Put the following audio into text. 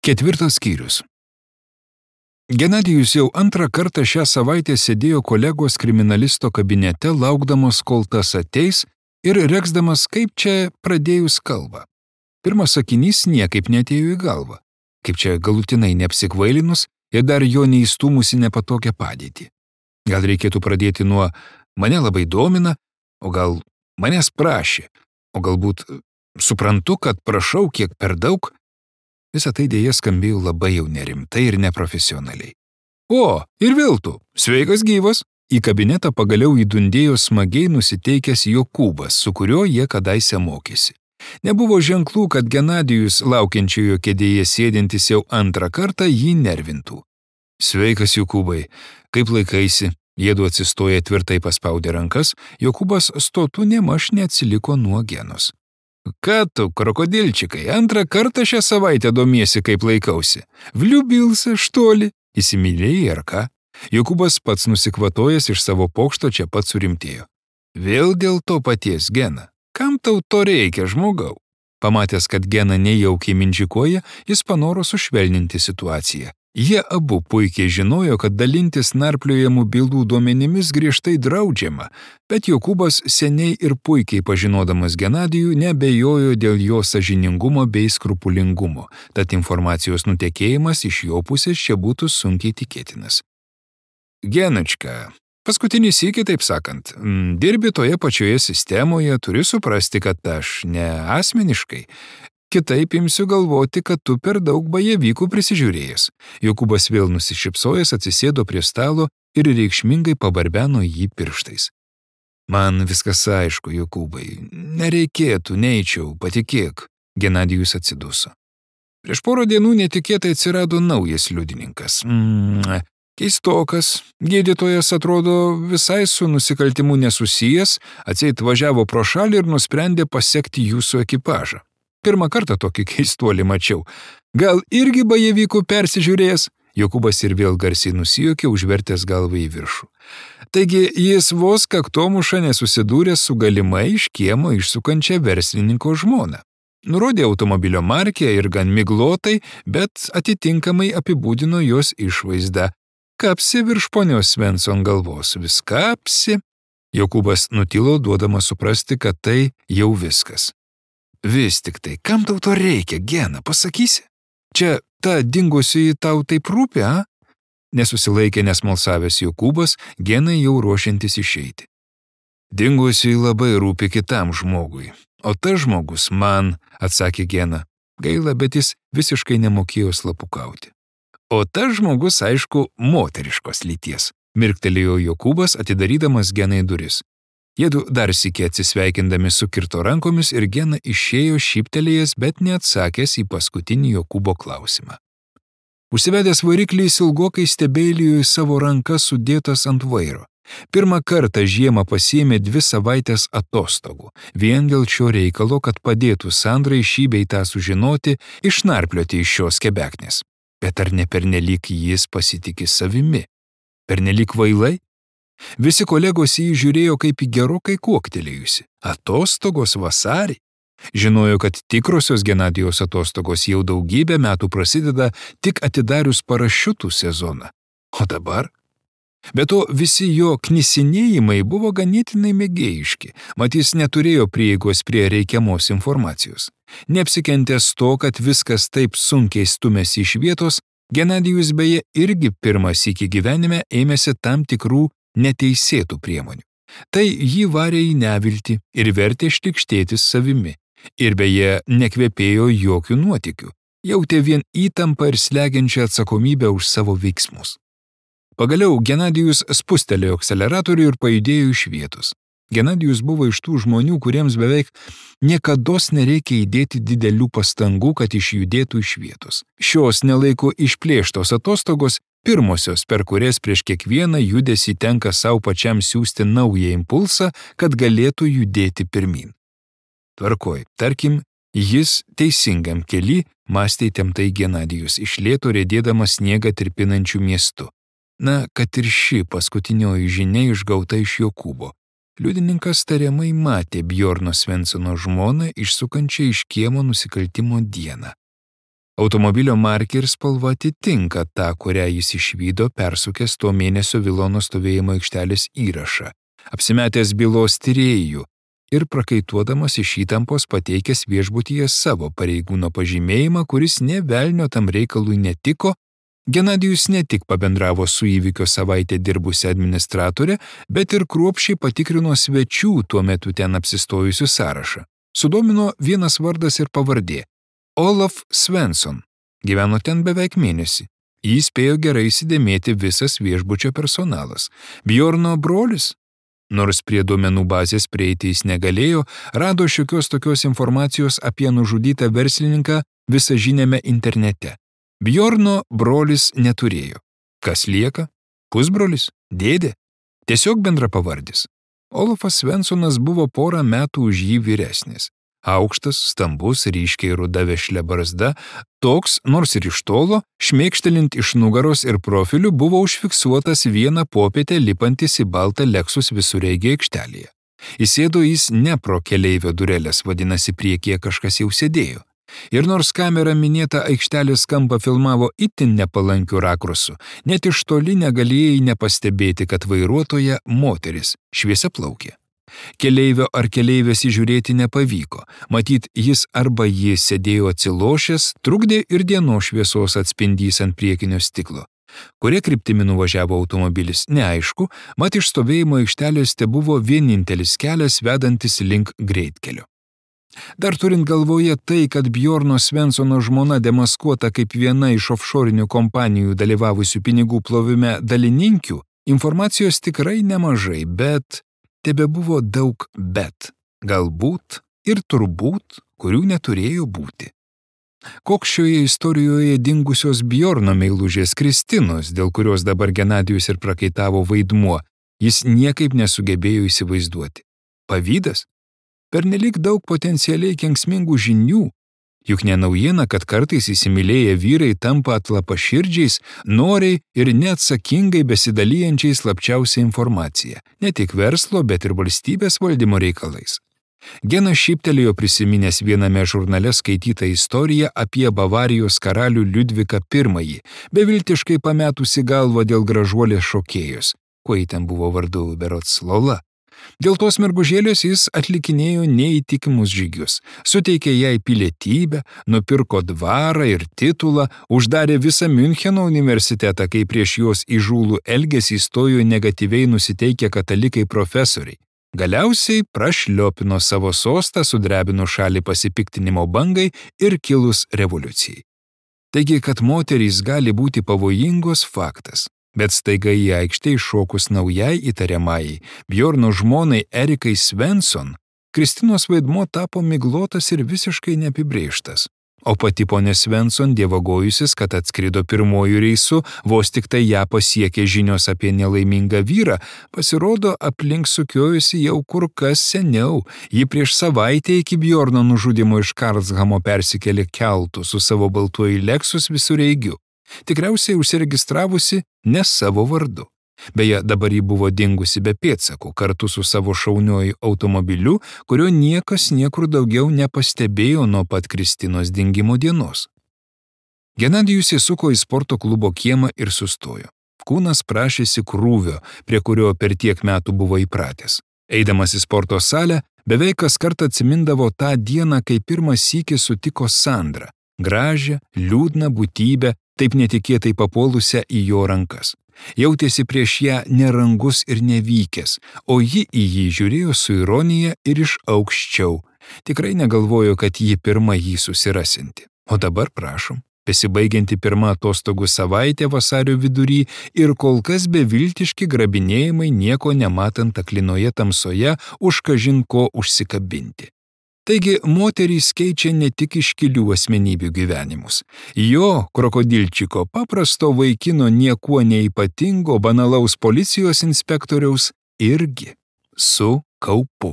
4 skyrius. Genadijus jau antrą kartą šią savaitę sėdėjo kolegos kriminalisto kabinete, laukdamas, kol tas ateis ir reksdamas, kaip čia pradėjus kalbą. Pirmas sakinys niekaip neatėjo į galvą, kaip čia galutinai neapsikvailinus ir dar jo neįstūmusi nepatogią padėtį. Gal reikėtų pradėti nuo mane labai domina, o gal manęs prašė, o galbūt suprantu, kad prašau kiek per daug. Visą tai dėja skambėjo labai jau nerimtai ir neprofesionaliai. O, ir vėl tu, sveikas gyvas. Į kabinetą pagaliau įdundėjo smagiai nusiteikęs Jokūbas, su kuriuo jie kadaise mokėsi. Nebuvo ženklų, kad Genadijus, laukiančiojo kėdėje sėdintis jau antrą kartą, jį nervintų. Sveikas, Jokūbai, kaip laikaisi? Jiedu atsistoję tvirtai paspaudė rankas, Jokūbas stotų nemaž neatsiliko nuo Genos. Ką tu, krokodilčikai, antrą kartą šią savaitę domiesi, kaip laikausi? Vliubilsa, štoli, įsimylėjai ar ką? Jokūbas pats nusikvatojęs iš savo pokšto čia pat surimtėjo. Vėl dėl to paties, Gena. Kam tau to reikia, žmogau? Pamatęs, kad Gena nejaukiai mindžikuoja, jis panoro sušvelninti situaciją. Jie abu puikiai žinojo, kad dalintis narpliojamų bylų duomenimis griežtai draudžiama, bet Jokūbas seniai ir puikiai pažinodamas Genadijų neabejojo dėl jo sąžiningumo bei skrupulingumo, tad informacijos nutekėjimas iš jo pusės čia būtų sunkiai tikėtinas. Genačka, paskutinį sykį, taip sakant, dirbi toje pačioje sistemoje, turi suprasti, kad aš ne asmeniškai. Kitaip imsiu galvoti, kad tu per daug bajevykų prisižiūrėjęs. Jokūbas vėl nusišypsojęs atsisėdo prie stalo ir reikšmingai pabarbeno jį pirštais. Man viskas aišku, Jokūbai. Nereikėtų, neičiau, patikėk. Genadijus atsiduso. Prieš porą dienų netikėtai atsirado naujas liudininkas. Keistokas. Gydytojas atrodo visai su nusikaltimu nesusijęs, atseit važiavo pro šalį ir nusprendė pasekti jūsų ekipažą. Pirmą kartą tokį keistuolį mačiau. Gal irgi bajevykų persižiūrėjęs? Jokūbas ir vėl garsiai nusijuokė, užvertęs galvą į viršų. Taigi jis vos kaktomuša nesusidūrė su galimai iš kiemo išsukančia verslininko žmona. Nurodė automobilio markę ir gan miglotai, bet atitinkamai apibūdino jos išvaizdą. Kapsi virš ponios Svensson galvos, vis kapsi. Jokūbas nutilo, duodamas suprasti, kad tai jau viskas. Vis tik tai, kam tau to reikia, Gena, pasakysi? Čia ta dingusi tau taip rūpi, a? Nesusilaikė nesmalsavęs Jokūbas, Genai jau ruošiantis išeiti. Dingusi labai rūpi kitam žmogui, o tas žmogus man, atsakė Gena. Gaila, bet jis visiškai nemokėjo slapukauti. O tas žmogus, aišku, moteriškos lyties, mirktelėjo Jokūbas, atidarydamas Genai duris. Jiedu dar sykį atsisveikindami sukirto rankomis ir Gena išėjo šyptelėjęs, bet neatsakęs į paskutinį Jokūbo klausimą. Užsivedęs variklį jis ilgokai stebėlijo į savo rankas sudėtas ant vairo. Pirmą kartą žiemą pasiėmė 2 savaitės atostogų, vien dėl šio reikalo, kad padėtų Sandrai šį bei tą sužinoti, išnarplioti iš šios kebeknės. Bet ar ne pernelyg jis pasitiki savimi? Pernelyg kvailai? Visi kolegos jį žiūrėjo kaip į gerokai kuoktelėjusi. Atostogos vasarį. Žinojo, kad tikrosios Genadijos atostogos jau daugybę metų prasideda tik atidarius parašiutų sezoną. O dabar? Be to, visi jo knisinėjimai buvo ganėtinai mėgėjiški, mat jis neturėjo prieigos prie reikiamos informacijos. Neapsikentęs to, kad viskas taip sunkiai stumėsi iš vietos, Genadijus beje irgi pirmą sykį gyvenime ėmėsi tam tikrų neteisėtų priemonių. Tai jį varė į neviltį ir vertė štikštėtis savimi. Ir beje, nekvepėjo jokių nuotykių. Jautė vien įtampą ir slegiančią atsakomybę už savo veiksmus. Pagaliau Genadijus spustelėjo akceleratorių ir pajudėjo iš vietos. Genadijus buvo iš tų žmonių, kuriems beveik niekados nereikia įdėti didelių pastangų, kad išjudėtų iš vietos. Šios nelaiko išplėštos atostogos pirmosios, per kurias prieš kiekvieną judesį tenka savo pačiam siųsti naują impulsą, kad galėtų judėti pirmin. Tvarkoj, tarkim, jis teisingam kely, mąstė įtemptai Genadijus, iš lėto riedėdamas sniegą tirpinančių miestu. Na, kad ir ši paskutinioji žinia išgauta iš Jokūbo. Liudininkas tariamai matė Bjorno Svenssono žmoną išsukančią iš kiemo nusikaltimo dieną. Automobilio markė ir spalva atitinka tą, kurią jis išvydo persukęs to mėnesio Vilono stovėjimo aikštelės įrašą, apsimetęs bylos tyrėjų ir prakaituodamas iš įtampos pateikęs viešbutyje savo pareigūno pažymėjimą, kuris nė velnio tam reikalui netiko. Genadijus ne tik pabendravo su įvykio savaitę dirbusią administratorę, bet ir kruopščiai patikrino svečių tuo metu ten apsistojusių sąrašą. Sudomino vienas vardas ir pavardė – Olaf Svensson. Gyveno ten beveik mėnesį. Jį spėjo gerai įsidėmėti visas viešbučio personalas. Bjorno brolis? Nors prie duomenų bazės prieiti jis negalėjo, rado šiokios tokios informacijos apie nužudytą verslininką visažiniame internete. Bjorno brolis neturėjo. Kas lieka? Pusbrolis? Dėdė? Tiesiog bendrapavardis. Olafas Svenssonas buvo porą metų už jį vyresnis. Aukštas, stambus, ryškiai ruda vešlia barzda, toks, nors ir iš tolo, šmėkštelint iš nugaros ir profilių, buvo užfiksuotas vieną popietę lipantis į baltą Lexus visureigį aikštelėje. Įsėdo jis ne pro keleivio durelės, vadinasi, priekyje kažkas jau sėdėjo. Ir nors kamera minėtą aikštelės kampą filmavo itin nepalankiu rakursu, net iš toli negalėjai nepastebėti, kad vairuotoja moteris, šviesiaplaukė. Keleivio ar keleivės įžiūrėti nepavyko, matyt, jis arba jis sėdėjo atsilošęs, trukdė ir dienos šviesos atspindys ant priekinio stiklo. Kuria kryptimi nuvažiavo automobilis, neaišku, mat iš stovėjimo aikštelės tebuvo vienintelis kelias vedantis link greitkelio. Dar turint galvoje tai, kad Bjorno Svenssono žmona demaskuota kaip viena iš offshorinių kompanijų dalyvavusių pinigų plovime dalininkių, informacijos tikrai nemažai, bet tebebuvo daug bet, galbūt ir turbūt, kurių neturėjo būti. Koks šioje istorijoje dingusios Bjorno meilužės Kristinos, dėl kurios dabar Genadijus ir prakaitavo vaidmuo, jis niekaip nesugebėjo įsivaizduoti. Pavydas? Pernelyg daug potencialiai kenksmingų žinių, juk ne naujiena, kad kartais įsimylėję vyrai tampa atlapaširdžiais, noriai ir neatsakingai besidalijančiais slapčiausią informaciją, ne tik verslo, bet ir valstybės valdymo reikalais. Genas šyptelėjo prisiminęs viename žurnale skaitytą istoriją apie Bavarijos karalių Liudviką I, beviltiškai pametusi galvą dėl gražuolės šokėjos, kuo ji ten buvo vardu berods Lola. Dėl tos mergužėlės jis atlikinėjo neįtikimus žygius, suteikė jai pilietybę, nupirko dvarą ir titulą, uždarė visą Miuncheno universitetą, kai prieš jos įžūlų elgesį stojo negatyviai nusiteikę katalikai profesoriai. Galiausiai prašliopino savo sostą, sudrebino šalį pasipiktinimo bangai ir kilus revoliucijai. Taigi, kad moterys gali būti pavojingos faktas. Bet staiga į aikštę iššokus naujai įtariamajai, Bjorno žmonai Erikai Svensson, Kristinos vaidmuo tapo miglotas ir visiškai neapibrėžtas. O pati ponė Svensson dievagojusis, kad atskrido pirmojų reisų, vos tik tai ją pasiekė žinios apie nelaimingą vyrą, pasirodo aplink sukiojusi jau kur kas seniau. Ji prieš savaitę iki Bjorno nužudimo iš Karlshamo persikėlė keltu su savo baltuoju Lexus visureigiu. Tikriausiai užsiregistravusi ne savo vardu. Beje, dabar ji buvo dingusi be pėdsakų, kartu su savo šauniuoju automobiliu, kurio niekas niekur daugiau nepastebėjo nuo pat Kristinos dingimo dienos. Genadijus įsuko į sporto klubo kiemą ir sustojo. Kūnas prašėsi krūvio, prie kurio per tiek metų buvo įpratęs. Eidamas į sporto salę, beveik kas kartą atsimindavo tą dieną, kai pirmą sykį sutiko Sandrą, gražią, liūdną būtybę, taip netikėtai papuolusią į jo rankas. Jautėsi prieš ją nerangus ir nevykęs, o ji į jį žiūrėjo su ironija ir iš aukščiau. Tikrai negalvojo, kad ji pirma jį susirasinti. O dabar prašom, besibaigianti pirma atostogų savaitė vasario vidury ir kol kas beviltiški grabinėjimai nieko nematant aklinoje tamsoje už kažin ko užsikabinti. Taigi moterys keičia ne tik iškilių asmenybių gyvenimus. Jo, krokodilčiko, paprasto vaikino niekuo neypatingo banalaus policijos inspektoriaus irgi su kaupu.